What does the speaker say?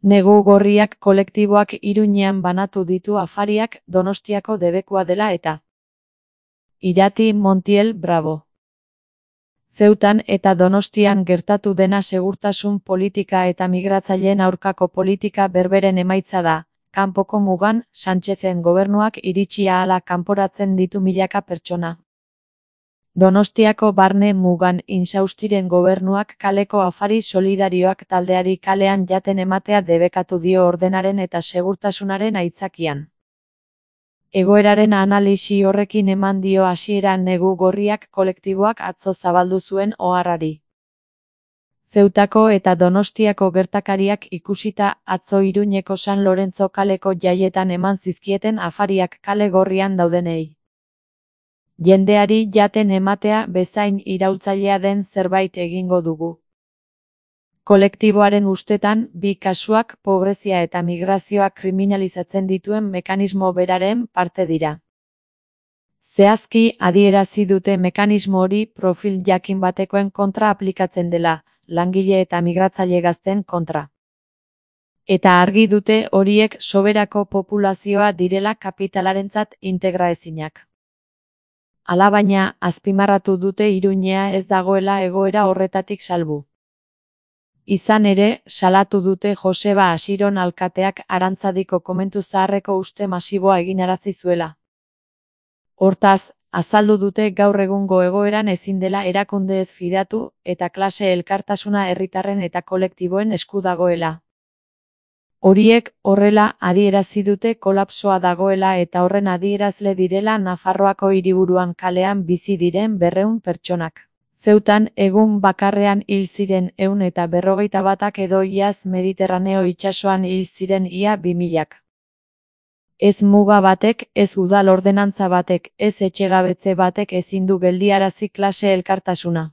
Negu gorriak kolektiboak Iruñean banatu ditu afariak Donostiako debekua dela eta. Irati Montiel Bravo. Ceutan eta Donostian gertatu dena segurtasun politika eta migratzaileen aurkako politika berberen emaitza da. Kanpoko mugan, Sánchezen gobernuak iritsi ahala kanporatzen ditu milaka pertsona. Donostiako barne mugan Insaustiren gobernuak kaleko afari solidarioak taldeari kalean jaten ematea debekatu dio ordenaren eta segurtasunaren aitzakian. Egoeraren analisi horrekin eman dio hasiera Negu gorriak kolektiboak atzo zabaldu zuen oharrari. Zeutako eta Donostiako gertakariak ikusita atzo Iruñeko San Lorenzo kaleko jaietan eman zizkieten afariak kale gorrian daudenei. Jendeari jaten ematea bezain iraultzailea den zerbait egingo dugu. Kolektiboaren ustetan, bi kasuak pobrezia eta migrazioa kriminalizatzen dituen mekanismo beraren parte dira. Zehazki adierazi dute mekanismo hori profil jakin batekoen kontra aplikatzen dela, langile eta migratzaile gazten kontra. Eta argi dute horiek soberako populazioa direla kapitalarentzat integraezinak. Alabaina, azpimarratu dute Iruñea ez dagoela egoera horretatik salbu. Izan ere, salatu dute Joseba Asiron alkateak Arantzadiko komentu zaharreko uste masiboa eginarazi zuela. Hortaz, azaldu dute gaur egungo egoeran ezin dela erakundeez fidatu eta klase elkartasuna herritarren eta kolektiboen esku dagoela. Horiek horrela adierazi dute kolapsoa dagoela eta horren adierazle direla Nafarroako hiriburuan kalean bizi diren 200 pertsonak. Zeutan egun bakarrean hil ziren 151 edo iaz Mediterraneo itsasoan hil ziren ia 2000. Ez muga batek, ez udal ordenantza batek, ez etxegabetze batek ezin du geldiarazi klase elkartasuna.